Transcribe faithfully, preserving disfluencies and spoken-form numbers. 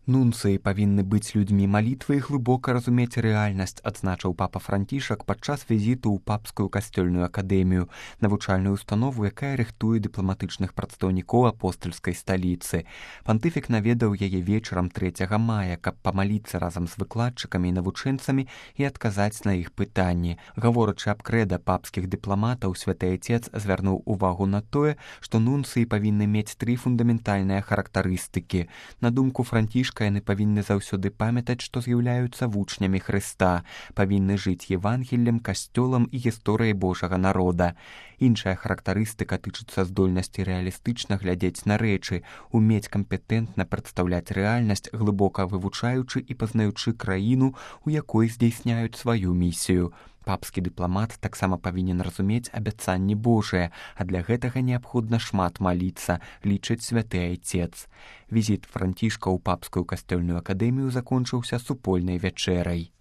Нунцыі павінны быць людзьмі малітвы і глыбока разумець рэальнасць, адзначыў папа Францішак падчас візіту ў папскую касцёльную акадэмію, навучальную установу, якая рыхтуе дыпламатычных прадстаўнікоў апостальскай сталіцы. Пантыфік наведаў яе вечарам трэцяга мая, каб памаліцца разам з выкладчыкамі і навучэнцамі і адказаць на іх пытанні. Гаворачы аб крэда папскіх дыпламатаў, святы Отец звярнуў увагу на тое, што нунцыі павінны мець тры фундаментальныя характарыстыкі. На думку Францішка, яны павінны заўсёды памятаць, што з'яўляюцца вучнямі Хрыста, павінны жыць Евангеллем, касцёлам і гісторыяй Божага народа. Іншая характарыстыка тычыцца здольнасці рэалістычна глядзець на рэчы, умець кампетэнтна прадстаўляць рэальнасць, глыбока вывучаючы і пазнаючы краіну, у якой здзейсняюць сваю місію. Папскі дыпламат таксама павінен разумець абяцанні Божыя, а для гэтага неабходна шмат маліцца, лічыць святы Отец. Візіт Францішка ў папскую касцёльную акадэмію закончыўся супольнай вячэрай.